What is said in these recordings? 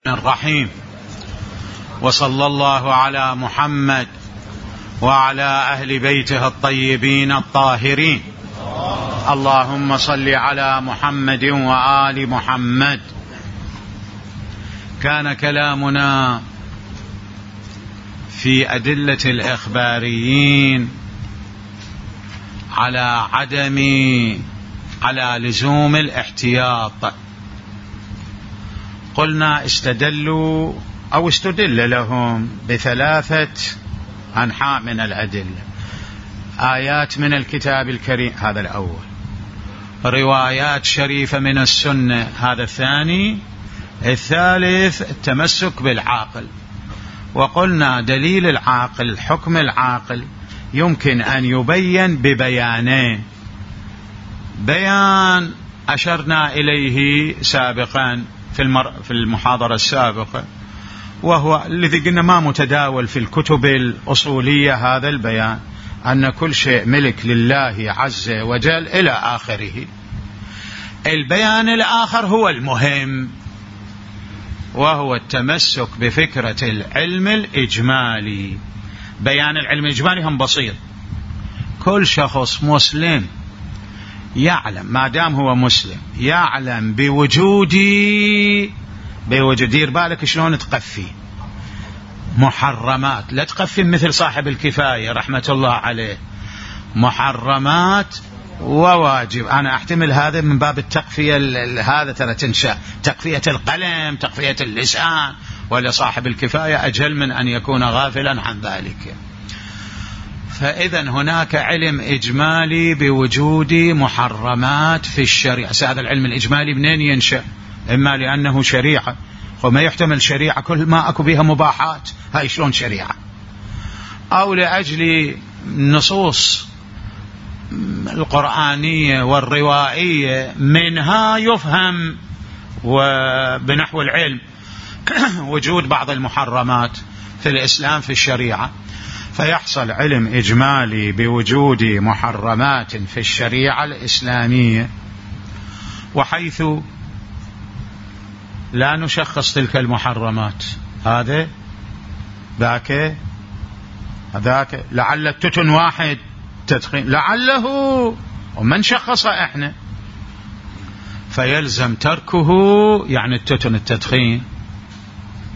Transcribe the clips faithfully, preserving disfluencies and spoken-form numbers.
الرحيم. وصلى الله على محمد وعلى أهل بيته الطيبين الطاهرين. اللهم صل على محمد وآل محمد. كان كلامنا في أدلة الإخباريين على عدم على لزوم الاحتياط. قلنا استدلوا أو استدل لهم بثلاثة أنحاء من الأدلة: آيات من الكتاب الكريم، هذا الأول; روايات شريفة من السنة، هذا الثاني; الثالث التمسك بالعاقل. وقلنا دليل العاقل، حكم العاقل، يمكن أن يبين ببيانين: بيان أشرنا إليه سابقا في المر... في المحاضرة السابقة، وهو الذي قلنا ما متداول في الكتب الأصولية، هذا البيان أن كل شيء ملك لله عز وجل إلى آخره. البيان الآخر هو المهم، وهو التمسك بفكرة العلم الإجمالي. بيان العلم الإجمالي هم بسيط: كل شخص مسلم يعلم، ما دام هو مسلم يعلم بوجودي بوجود دير بالك شلون تقفي محرمات، لا تقفي مثل صاحب الكفاية رحمة الله عليه، محرمات وواجب. أنا أحتمل هذا من باب التقفية، هذا ترى تنشأ تقفية القلم، تقفية اللسان، ولا صاحب الكفاية أجل من أن يكون غافلا عن ذلك. فإذا هناك علم إجمالي بوجود محرمات في الشريعة. هذا العلم الإجمالي منين ينشأ؟ إما لأنه شريعة، وما يحتمل شريعة كل ما أكو بها مباحات، هاي شلون شريعة؟ أو لأجل نصوص القرآنية والروائية منها يفهم وبنحو العلم وجود بعض المحرمات في الإسلام في الشريعة، فيحصل علم إجمالي بوجود محرمات في الشريعة الإسلامية، وحيث لا نشخص تلك المحرمات، هذا ذاك ذاك لعل التتن واحد تدخين، لعله، ومن شخص احنا، فيلزم تركه، يعني التتن التدخين،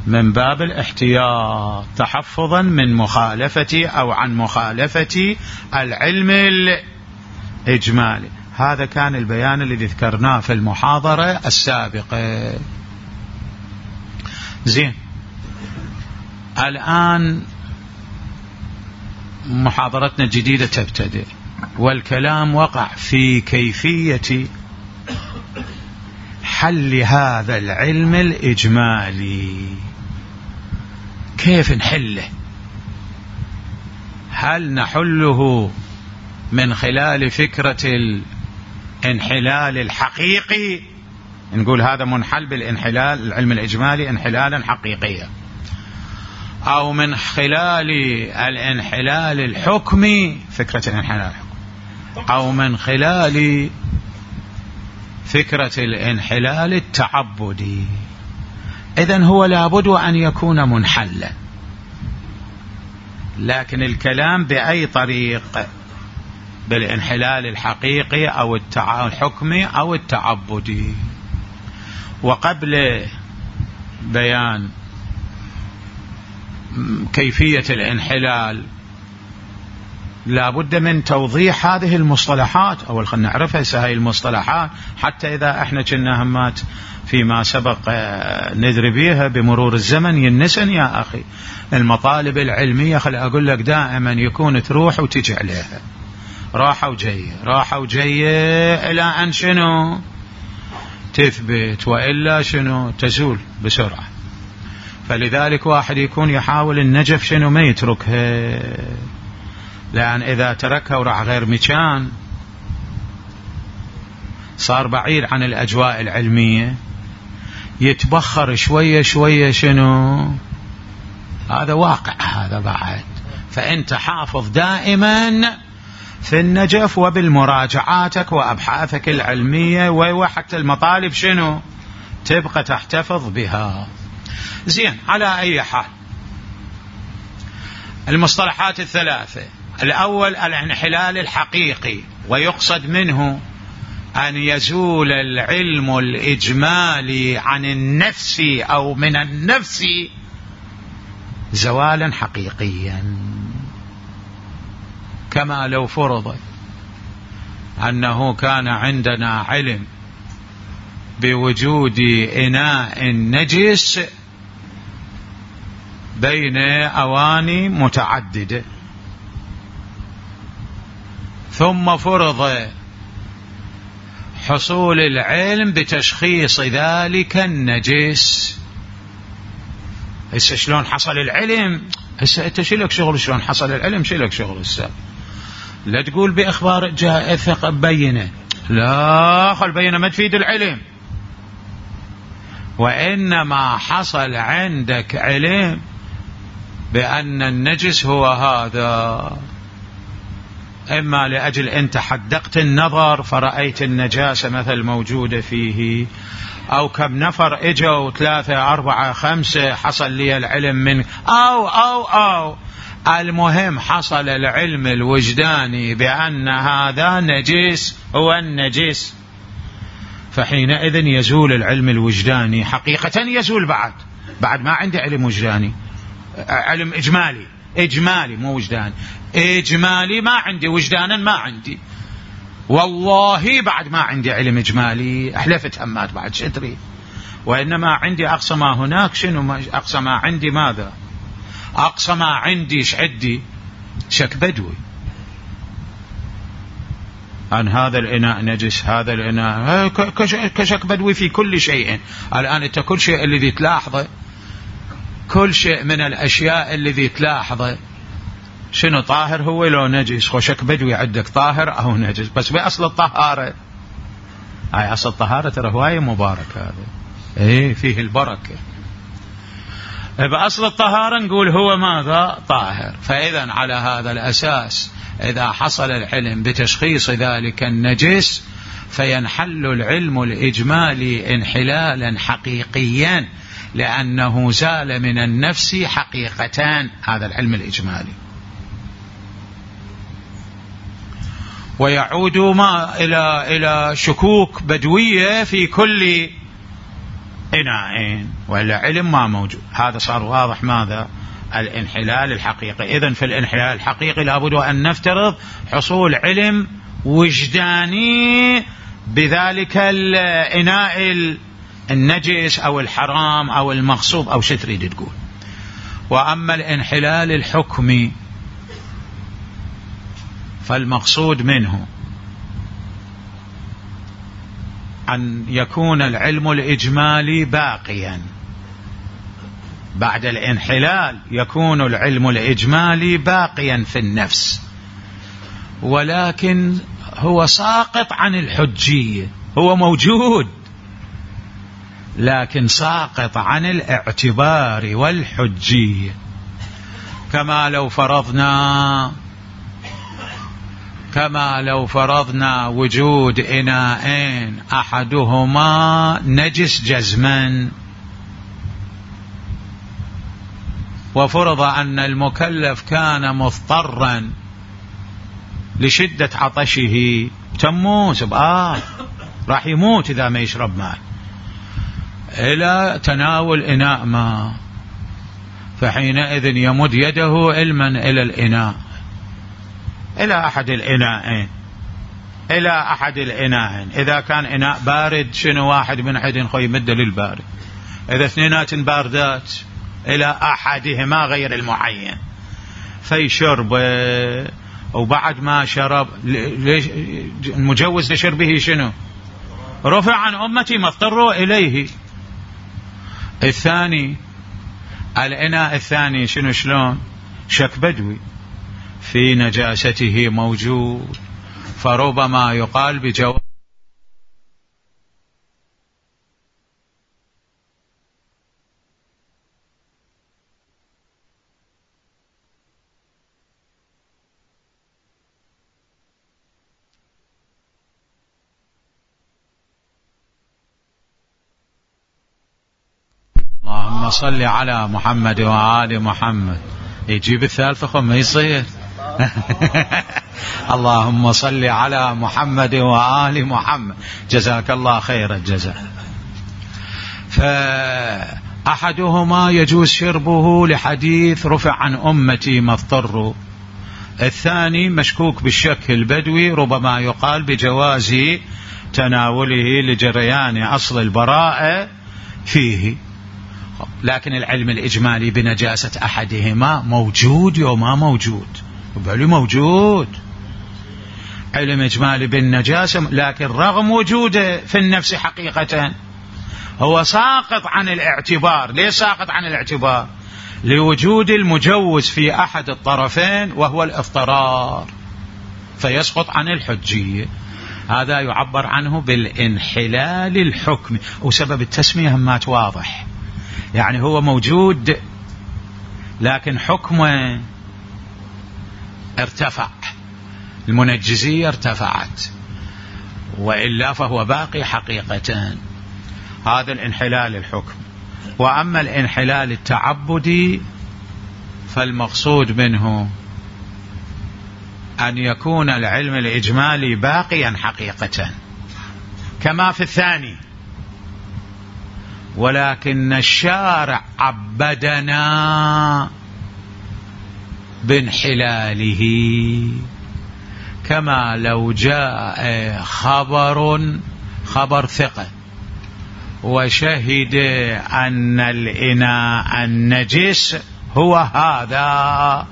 من باب الاحتياط تحفظا من مخالفة أو عن مخالفة العلم الإجمالي. هذا كان البيان الذي ذكرناه في المحاضرة السابقة. زين، الآن محاضرتنا الجديدة تبتدئ، والكلام وقع في كيفية حل هذا العلم الإجمالي. كيف نحله؟ هل نحله من خلال فكرة الانحلال الحقيقي، نقول هذا منحل بالانحلال العلم الإجمالي انحلالا حقيقيا، أو من خلال الانحلال الحكمي، فكرة الانحلال الحكمي، أو من خلال فكرة الانحلال التعبدي؟ إذن هو لابد أن يكون منحلا، لكن الكلام بأي طريق، بالانحلال الحقيقي أو الحكمي أو التعبدي. وقبل بيان كيفية الانحلال لا بد من توضيح هذه المصطلحات. أول خلنا نعرفها هذه المصطلحات، حتى إذا احنا كنا همات فيما سبق ندري بيها بمرور الزمن ينسن يا أخي. المطالب العلمية خل أقول لك دائما يكون تروح وتجي عليها، راحة وجاية راحة وجاية إلى أن شنو تثبت، وإلا شنو تزول بسرعة. فلذلك واحد يكون يحاول النجف شنو ما يتركها، لأن إذا تركها وراح غير مكان صار بعيد عن الأجواء العلمية، يتبخر شوية شوية شنو، هذا واقع هذا بعد. فأنت حافظ دائما في النجف وبالمراجعاتك وأبحاثك العلمية، وحتى المطالب شنو تبقى تحتفظ بها. زين، على أي حال المصطلحات الثلاثة: الأول الانحلال الحقيقي، ويقصد منه أن يزول العلم الإجمالي عن النفس أو من النفس زوالا حقيقيا، كما لو فرض أنه كان عندنا علم بوجود إناء نجس بين أواني متعددة، ثم فرض حصول العلم بتشخيص ذلك النجس. هسه شلون حصل العلم؟ هسه انت شلك شغل شلون حصل العلم، شلك شغل هسه. لا تقول بإخبار جاء ثقة بينه، لا، خل بينه ما تفيد العلم، وإنما حصل عندك علم بأن النجس هو هذا، إما لأجل أنت حدقت النظر فرأيت النجاسة مثل موجودة فيه، أو كم نفر إجوا ثلاثة أربعة خمسة حصل لي العلم من أو أو أو المهم حصل العلم الوجداني بأن هذا نجس هو النجس، فحينئذ يزول العلم الوجداني حقيقة، يزول بعد بعد ما عندي علم وجداني، علم إجمالي إجمالي مو وجداني، إجمالي ما عندي، وجدانا ما عندي، والله بعد ما عندي علم إجمالي، أحلفت همات بعد شتري، وإنما عندي أقصى ما هناك. شنو أقصى ما عندي؟ ماذا أقصى ما عندي؟ شعدي شك بدوي أن هذا الإناء نجس، هذا الإناء كشك بدوي في كل شيء. الآن أنت كل شيء الذي تلاحظه، كل شيء من الأشياء الذي تلاحظه شنو طاهر هو لو نجس، وشك بدوي عندك طاهر أو نجس، بس بأصل الطهارة، هاي أصل الطهارة ترى هواية مبارك، هذا إيه فيه البركة، بأصل الطهارة نقول هو ماذا؟ طاهر. فإذا على هذا الأساس إذا حصل العلم بتشخيص ذلك النجس فينحل العلم الإجمالي انحلالا حقيقيا، لأنه زال من النفس حقيقتان، هذا العلم الإجمالي. ويعود ما إلى إلى شكوك بدوية في كل إناء، ولا علم ما موجود. هذا صار واضح ماذا؟ الانحلال الحقيقي. إذن في الانحلال الحقيقي لابد أن نفترض حصول علم وجداني بذلك الإناء النجس أو الحرام أو المغصوب أو شو تريد تقول. وأما الانحلال الحكمي فالمقصود منه أن يكون العلم الإجمالي باقيا بعد الانحلال، يكون العلم الإجمالي باقيا في النفس، ولكن هو ساقط عن الحجية، هو موجود لكن ساقط عن الاعتبار والحجية. كما لو فرضنا كما لو فرضنا وجود إناءين أحدهما نجس جزما، وفرض أن المكلف كان مضطرا لشدة عطشه، تموت آه راح يموت إذا ما يشرب ماء، إلى تناول إناء ماء، فحينئذ يمد يده علما إلى الإناء، إلى أحد الإناءين، إلى أحد الإناءين. إذا كان إناء بارد شنو واحد من أحد خو يمد للبارد، إذا اثنينات باردات إلى أحدهما غير المعين فيشرب، وبعد ما شرب ليش المجوز لشربه شنو؟ رفع عن أمتي ما اضطروا إليه. الثاني الإناء الثاني شنو شلون؟ شك بدوي في نجاسته موجود، فربما يقال بجواب اللهم اللهم صل على محمد وآل محمد. يجيب الثالثة خم ما يصير. اللهم صل على محمد وآل محمد. جزاك الله خير الجزاء. فأحدهما يجوز شربه لحديث رفع عن أمتي ما اضطروا. الثاني مشكوك بالشك البدوي، ربما يقال بجواز تناوله لجريان أصل البراءة فيه. لكن العلم الإجمالي بنجاسة أحدهما موجود وما موجود؟ بالي موجود علم إجمالي بالنجاسة، لكن رغم وجوده في النفس حقيقة هو ساقط عن الاعتبار. ليه ساقط عن الاعتبار؟ لوجود المجوز في أحد الطرفين وهو الاضطرار، فيسقط عن الحجية. هذا يعبر عنه بالانحلال الحكمي، وسبب التسمية همات واضح، يعني هو موجود لكن حكمه ارتفع، المنجزية ارتفعت، وإلا فهو باقي حقيقة. هذا الانحلال الحكمي. وأما الانحلال التعبدي فالمقصود منه أن يكون العلم الإجمالي باقيا حقيقة كما في الثاني، ولكن الشارع عبدنا بانحلاله، كما لو جاء خبر خبر ثقة وشهد أن الإناء النجس هو هذا،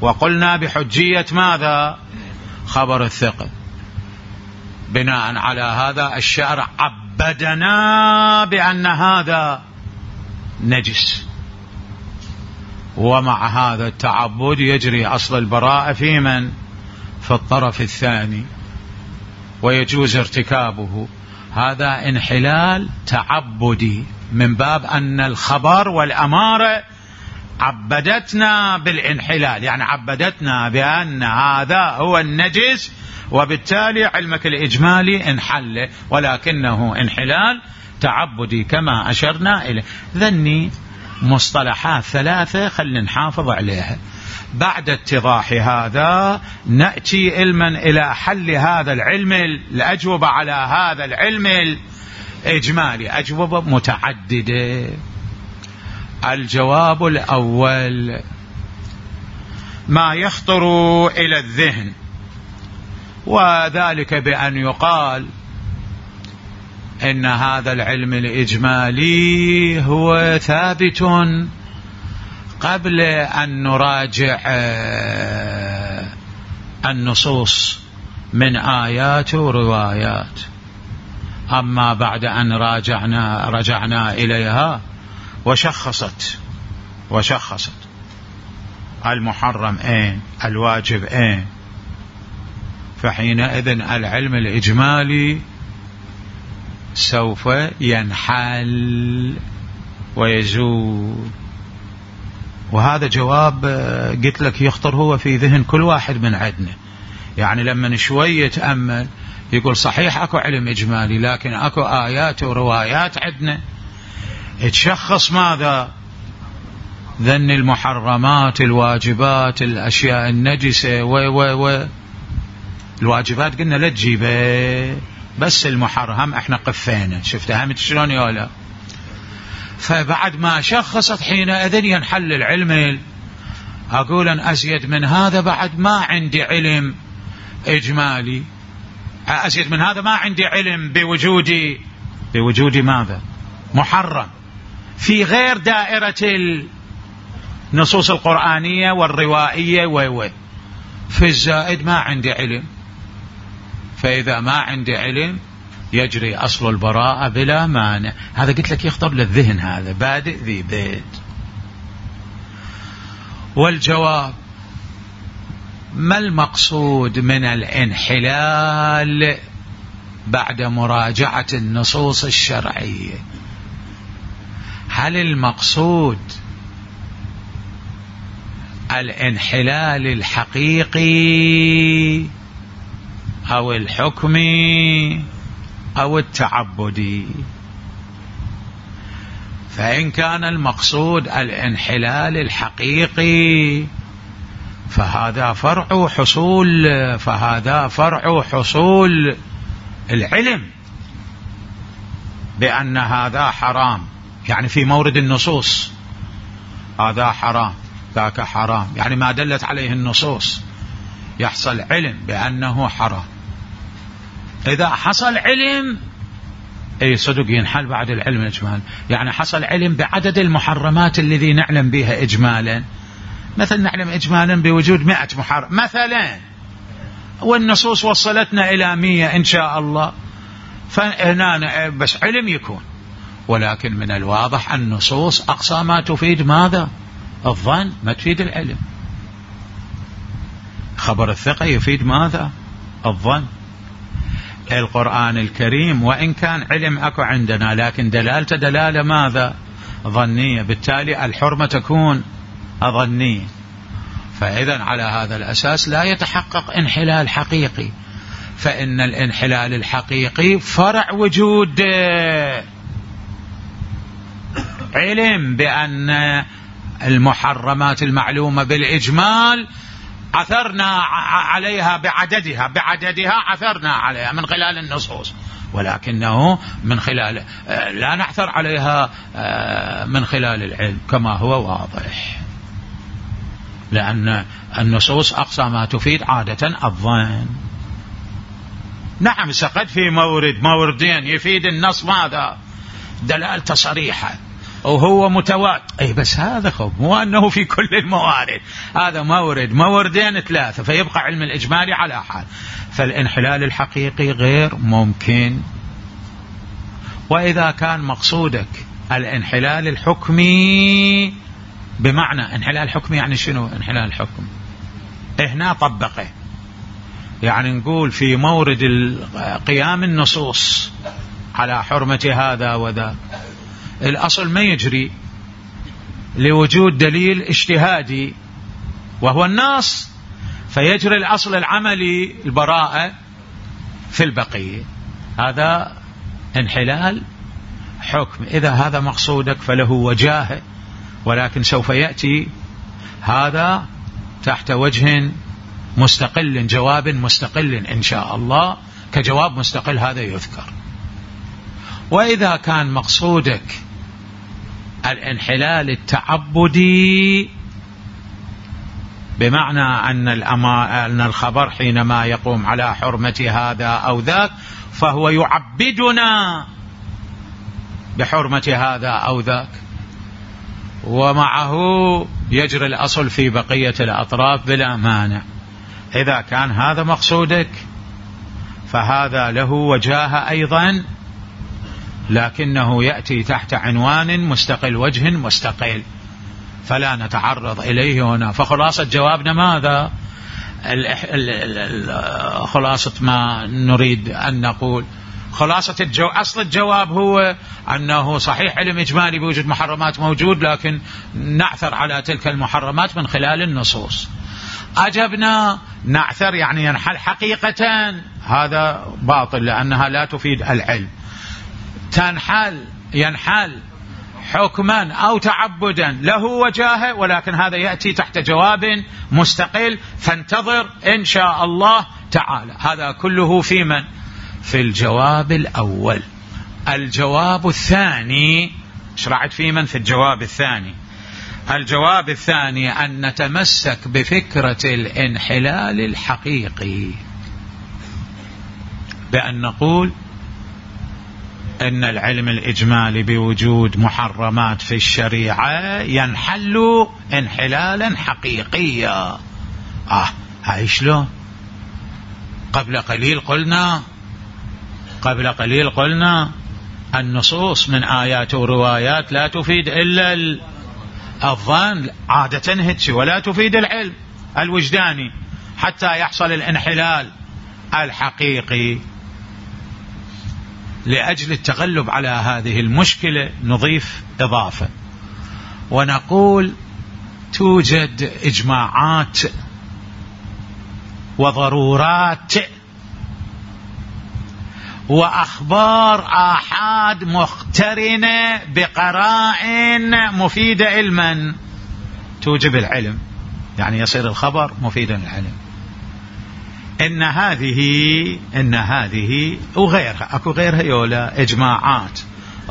وقلنا بحجية ماذا؟ خبر الثقة. بناء على هذا الشارع عبدنا بأن هذا نجس، ومع هذا التعبد يجري أصل البراءة في من؟ في الطرف الثاني، ويجوز ارتكابه. هذا انحلال تعبدي من باب أن الخبر والأمارة عبدتنا بالانحلال، يعني عبدتنا بأن هذا هو النجس، وبالتالي علمك الإجمالي انحل، ولكنه انحلال تعبدي كما أشرنا إليه. ذني مصطلحات ثلاثة خلنا نحافظ عليها. بعد اتضاح هذا نأتي علما إلى حل هذا العلم، الأجوبة على هذا العلم الإجمالي أجوبة متعددة. الجواب الأول ما يخطر إلى الذهن، وذلك بأن يقال إن هذا العلم الإجمالي هو ثابت قبل أن نراجع النصوص من آيات وروايات، أما بعد أن راجعنا رجعنا إليها وشخصت وشخصت المحرم اين الواجب اين، فحينئذ العلم الإجمالي سوف ينحل ويزول. وهذا جواب قلت لك يخطر هو في ذهن كل واحد من عندنا، يعني لما شوي يتأمل يقول صحيح اكو علم إجمالي، لكن اكو آيات وروايات عندنا تشخص ماذا؟ ذن المحرمات، الواجبات، الأشياء النجسة و و و الواجبات قلنا لا تجيبه، بس المحرم احنا قفينا. شفتها همت شلون يولا؟ فبعد ما شخصت حينئذ ينحل العلم. أقول أن أزيد من هذا بعد ما عندي علم إجمالي، أزيد من هذا ما عندي علم بوجودي بوجود ماذا؟ محرم في غير دائرة النصوص القرآنية والروائية و في الزائد ما عندي علم. فإذا ما عندي علم يجري أصل البراءة بلا مانع. هذا قلت لك يخطر للذهن، هذا بادئ ذي بيت. والجواب ما المقصود من الانحلال بعد مراجعة النصوص الشرعية؟ هل المقصود الانحلال الحقيقي أو الحكمي أو التعبدي؟ فإن كان المقصود الانحلال الحقيقي فهذا فرع حصول فهذا فرع حصول العلم بأن هذا حرام، يعني في مورد النصوص هذا حرام ذاك حرام، يعني ما دلت عليه النصوص يحصل علم بأنه حرام. إذا حصل علم أي صدق ينحل بعد العلم الإجمال، يعني حصل علم بعدد المحرمات الذي نعلم بها إجمالا، مثل نعلم إجمالا بوجود مئة محرم مثلا، والنصوص وصلتنا إلى مية إن شاء الله، فهنا بس علم يكون. ولكن من الواضح النصوص أقصى ما تفيد ماذا؟ الظن، ما تفيد العلم. خبر الثقة يفيد ماذا؟ الظن. القرآن الكريم وإن كان علم أكو عندنا لكن دلالته دلالة ماذا؟ ظنية، بالتالي الحرمة تكون ظنية. فإذا على هذا الأساس لا يتحقق انحلال حقيقي، فإن الانحلال الحقيقي فرع وجود علم بأن المحرمات المعلومة بالإجمال عثرنا عليها بعددها بعددها عثرنا عليها من خلال النصوص، ولكنه من خلال لا نعثر عليها من خلال العلم كما هو واضح، لأن النصوص أقصى ما تفيد عادة الظن. نعم سقد في مورد موردين يفيد النص ماذا؟ دلالة صريحة وهو متواتر، أي بس هذا خب مو أنه في كل الموارد، هذا مورد موردين ثلاثة، فيبقى علم الإجمالي على حال. فالانحلال الحقيقي غير ممكن. وإذا كان مقصودك الانحلال الحكمي، بمعنى انحلال حكمي يعني شنو انحلال الحكم؟ هنا طبقه، يعني نقول في مورد قيام النصوص على حرمة هذا وذا، الأصل ما يجري لوجود دليل اجتهادي وهو النص، فيجري الأصل العملي البراءة في البقية، هذا انحلال حكم. إذا هذا مقصودك فله وجاهه، ولكن سوف يأتي هذا تحت وجه مستقل، جواب مستقل إن شاء الله، كجواب مستقل هذا يذكر. وإذا كان مقصودك الانحلال التعبدي، بمعنى أن, أن الخبر حينما يقوم على حرمة هذا أو ذاك فهو يعبدنا بحرمة هذا أو ذاك، ومعه يجري الأصل في بقية الأطراف بلا مانع. إذا كان هذا مقصودك فهذا له وجاهة أيضا، لكنه يأتي تحت عنوان مستقل، وجه مستقل، فلا نتعرض إليه هنا. فخلاصة جوابنا ماذا؟ خلاصة ما نريد أن نقول، خلاصة الجو... أصل الجواب هو أنه صحيح علم إجمالي بوجود محرمات موجود، لكن نعثر على تلك المحرمات من خلال النصوص. أجبنا نعثر يعني ينحل حقيقة، هذا باطل لأنها لا تفيد العلم. تنحل ينحل حكما أو تعبدا له وجاهه، ولكن هذا يأتي تحت جواب مستقل، فانتظر إن شاء الله تعالى. هذا كله في من؟ في الجواب الأول. الجواب الثاني شرعت في من؟ في الجواب الثاني. الجواب الثاني أن نتمسك بفكرة الانحلال الحقيقي، بأن نقول إن العلم الإجمالي بوجود محرمات في الشريعة ينحل انحلالا حقيقيا. آه هاي شلون؟ قبل قليل قلنا قبل قليل قلنا النصوص من آيات وروايات لا تفيد إلا الظن عادة هتش، ولا تفيد العلم الوجداني حتى يحصل الانحلال الحقيقي. لأجل التغلب على هذه المشكلة نضيف إضافة ونقول توجد إجماعات وضرورات وأخبار آحاد مقترنة بقرائن مفيدة علما توجب العلم، يعني يصير الخبر مفيدا للعلم. إن هذه إن هذه وغيرها، أكو غيرها يولا إجماعات،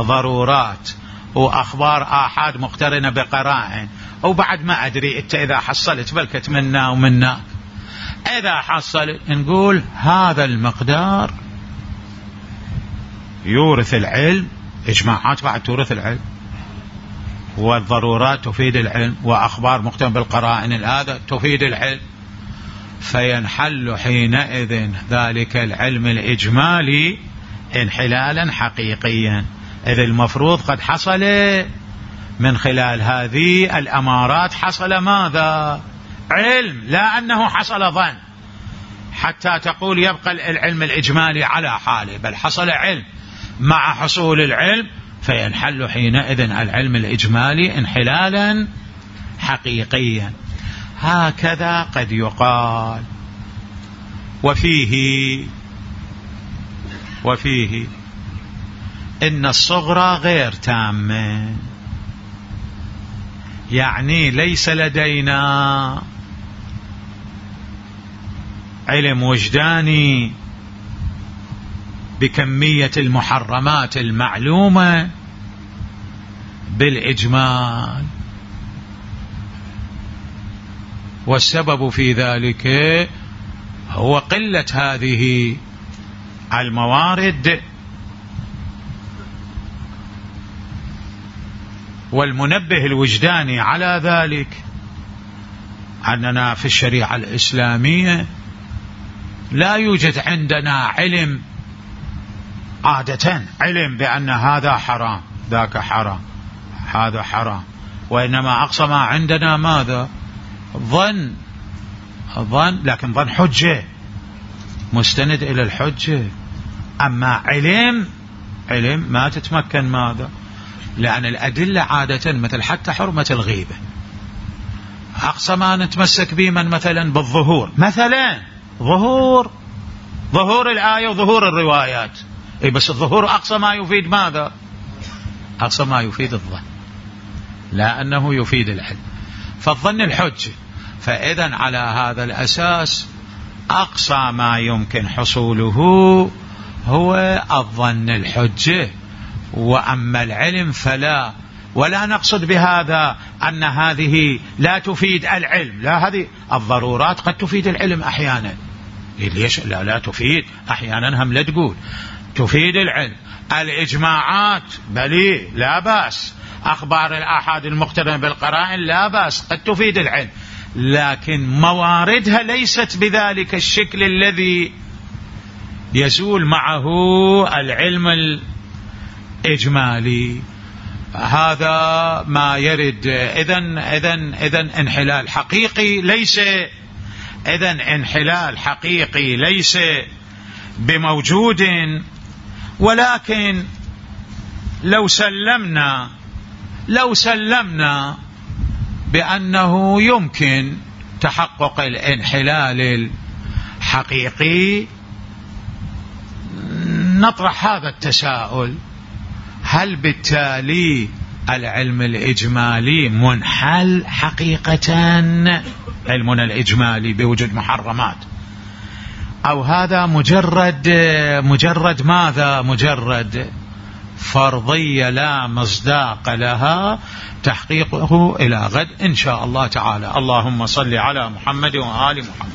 ضرورات، وأخبار آحاد مقترنة بقرائن. وبعد ما أدري أنت إذا حصلت بلكت منا ومنا، إذا حصلت نقول هذا المقدار يورث العلم. إجماعات بعد تورث العلم، والضرورات تفيد العلم، وأخبار مقترنة بالقرائن هذا تفيد العلم. فينحل حينئذ ذلك العلم الإجمالي انحلالا حقيقيا، إذ المفروض قد حصل من خلال هذه الأمارات حصل ماذا؟ علم، لا أنه حصل ظن حتى تقول يبقى العلم الإجمالي على حاله، بل حصل علم. مع حصول العلم فينحل حينئذ العلم الإجمالي انحلالا حقيقيا. هكذا قد يقال. وفيه وفيه إن الصغرى غير تامة، يعني ليس لدينا علم وجداني بكمية المحرمات المعلومة بالإجمال، والسبب في ذلك هو قلة هذه الموارد. والمنبه الوجداني على ذلك أننا في الشريعة الإسلامية لا يوجد عندنا علم عادة علم بأن هذا حرام ذاك حرام هذا حرام، وإنما أقصى ما عندنا ماذا؟ ظن ظن لكن ظن حجة مستند إلى الحجة. أما علم علم ما تتمكن ماذا؟ لأن الأدلة عادة مثل حتى حرمة الغيبة أقصى ما نتمسك به من مثلا بالظهور، مثلا ظهور ظهور الآية وظهور الروايات، أي بس الظهور أقصى ما يفيد ماذا؟ أقصى ما يفيد الظن، لا أنه يفيد العلم. فالظن الحجة. فإذا على هذا الأساس أقصى ما يمكن حصوله هو الظن الحجة. وأما العلم فلا. ولا نقصد بهذا أن هذه لا تفيد العلم، لا، هذه الضرورات قد تفيد العلم أحيانا. ليش لا لا تفيد أحيانا؟ هم لا تقول تفيد العلم. الإجماعات بلي لا بأس، أخبار الآحاد المقترنة بالقرائن لا بأس، قد تفيد العلم، لكن مواردها ليست بذلك الشكل الذي يزول معه العلم الإجمالي. هذا ما يرد. إذن إذن إذن انحلال حقيقي ليس إذن انحلال حقيقي ليس بموجود. ولكن لو سلمنا لو سلمنا بأنه يمكن تحقق الانحلال الحقيقي، نطرح هذا التساؤل: هل بالتالي العلم الإجمالي منحل حقيقة، علمنا الإجمالي بوجود محرمات، أو هذا مجرد مجرد ماذا؟ مجرد فرضية لا مصداق لها، تحقيقه إلى غد إن شاء الله تعالى. اللهم صل على محمد وآل محمد.